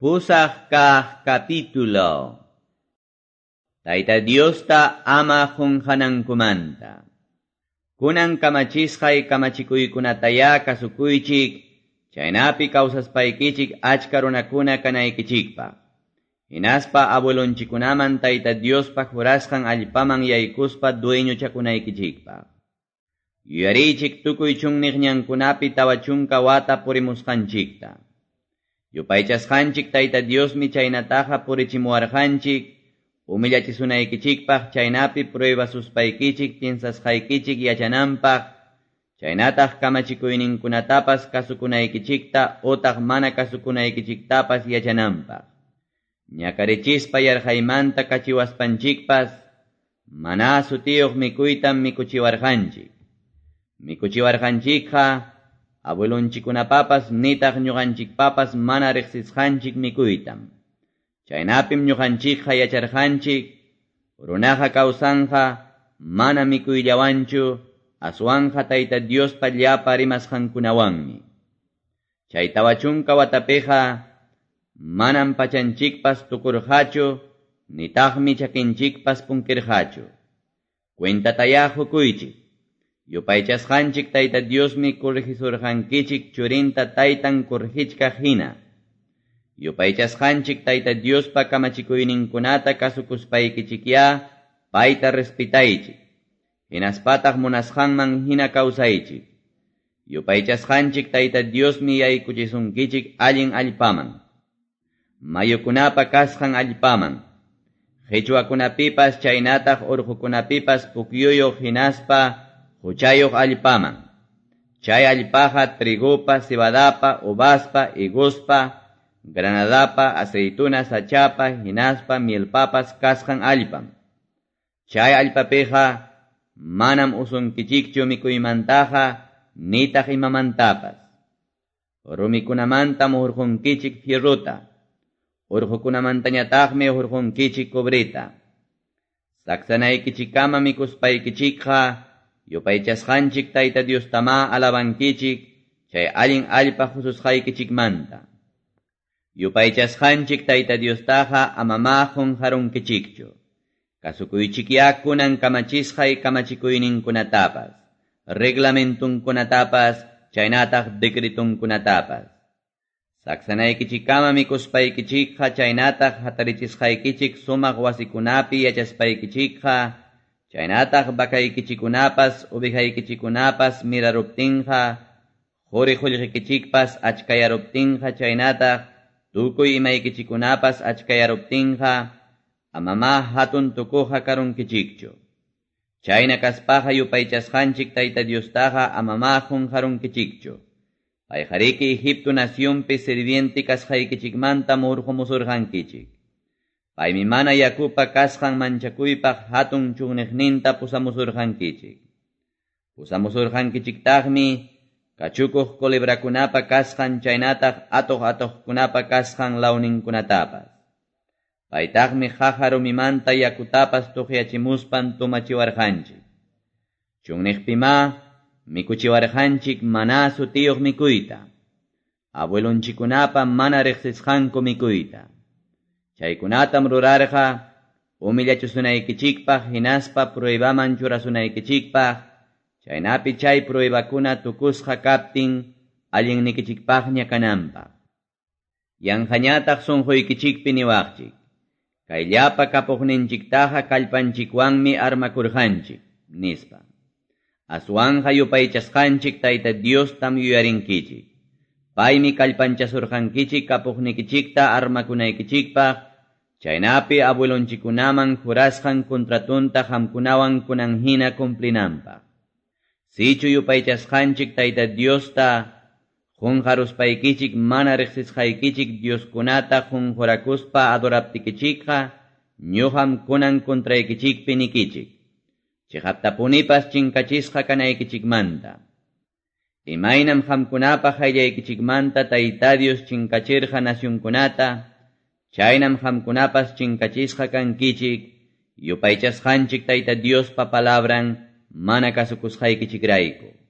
Pusaq kaq capítulo. Tayta Diosta ama qunqanankumanta. Kunan kamachisqay kamachikuykunatayá kasukuychik, chaynapi kawsaspaykichik achka runakuna kanaykichikpaq. Hinaspa abuelonchikunaman Tayta Diospa jurasqan allpaman yaykuspa dueñochakunaykichikpaq. Yuyariychik tukuy chunniq ñankunapi 40 wata purimusqanchikta. Yupaychasqanchik Tayta Diosmi chaynataqa purichimuwarqanchik, humillachisunaykichikpaq chaynapi pruebasuspaykichik piensasqaykichik yachananpaq, chaynataq kamachikuyninkunatapas kasukunaykichikta utaq mana kasukunaykichiktapas yachananpaq. Ñakarichispa yarqaymanta kachiwaspanchikpas, mana sutiyuq mikuytam mikuchiwarqanchik. Mikuchiwarqanchikqa abuelonchikunapapas nitaq ñuqanchikpapas mana riqsisqanchik mikuytam. Chaynapim ñuqanchikqa yacharqanchik, runaqa kawsanqa mana mikuyllawanchu, aswanqa Tayta Diospa llapa rimasqankunawanmi. Chay 40 watapiqa manam pachanchikpas tukurqachu, nitaqmi chakinchikpas punkirqachu. Cuentatayá qukuychik. Yupaychasqanchik Tayta Diosmi corregisurqankichik churinta taytan corregichkaq hina. Yupaychasqanchik Tayta Diospa kamachikuyninkunata kasukuspaykichikyá payta respetaychik. Hinaspataq munasqanman hina kawsaychik. Yupaychasqanchik Tayta Diosmi yaykuchisunkichik allin allpaman. Mayukunapa kasqan allpaman. Qichwakunapipas chaynataq urqukunapipas pukyuyuq hinaspa huchayuq allpaman. Chay allpaqa trigupa, cebadapa, uvaspa, higospa, granadapa, aceituna sachapa, hinaspa, mielpapas kasqan allpam. Chay allpapiqa manam usunkichikchu mikuymantaqa nitaq imamantapas. Rumikunamantam hurqunkichik fierrota, urqukunamantañataqmi hurqunkichik cobreta. Saksanaykichikkama mikuspaykichikqa yupaychasqanchik Tayta Diostamá alabankichik chay allin allpa hususqaykichikmanta. Yupaychasqanchik Tayta Diostaqa amamá qunqarunkichikchu. Kasukuychikyá kunan kamachisqay kamachikuyninkunatapas, reglamentunkunatapas, chaynataq decretunkunatapas. Saksanaykichikkama mikuspaykichikqa chaynataq hatarichisqaykichik sumaq wasikunapi yachaspaykichikqa, chaynataq vakaykichikunapas ovejaykichikunapas miraruptinqa, quri qullqikichikpas achkayaruptinqa chaynataq tukuy imaykichikunapas achkayaruptinqa, amamá hatun tukuqa karunkichikchu. Chayna kaspaqa yupaychasqanchik Tayta Diostaqa amamá qunqarunkichikchu. Payqariki Egipto nacionpi sirviente kasqaykichikmanta hurqumusurqankichik. Paymi mana yakupa kasqan manchakuypaq hatun chunniqninta pusamusurqankichik. Pusamusurqankichiktaqmi kachukuq culebrakunapa kasqan chaynataq atuq atuqkunapa kasqan lawninkunatapas. Paytaqmi qaqa rumimanta yakutapas tuqyachimuspan tumachiwarqanchik. Chunniqpimá mikuchiwarqanchik mana sutiyuq mikuyta. Abuelonchikunapa mana riqsisqanku mikuyta. Chaykunatam rurarqa humillachisunaykichikpaq hinaspa pruebaman churasunaykichikpaq, chaynapi chay pruebakuna tukusqa kaptin allinnikichikpaqña kananpaq. Yanqañataq sunquykichikpi niwaqchik. Kay llapa kapuqninchiktaqa kallpanchikwanmi armakurqanchik, nispa. Aswanqa yupaychasqanchik Tayta Diostam yuyarinkichik. Paymi kallpanchasurqankichik kapuqnikichikta armakunaykichikpaq, chaynapi abuelonchikunaman jurasqan contratunta qamkunawan kunan hina cumplinanpaq. Sichu yupaychasqanchik Tayta Diosta qunqaruspaykichik mana riqsisqaykichik Dioskunata qunqurakuspa adoraptikichikqa, ñuqam kunan contraykichikpi nikichik. Chiqaptapunipas chinkachisqa kanaykichikmanta. Imaynam qamkunapa qayllaykichikmanta Tayta Dios chinkachirqa nacionkunata, chaynam qamkunapas chinkachisqa kankichik, yupaychasqanchik Tayta Diospa palabran mana kasukusqaykichikrayku.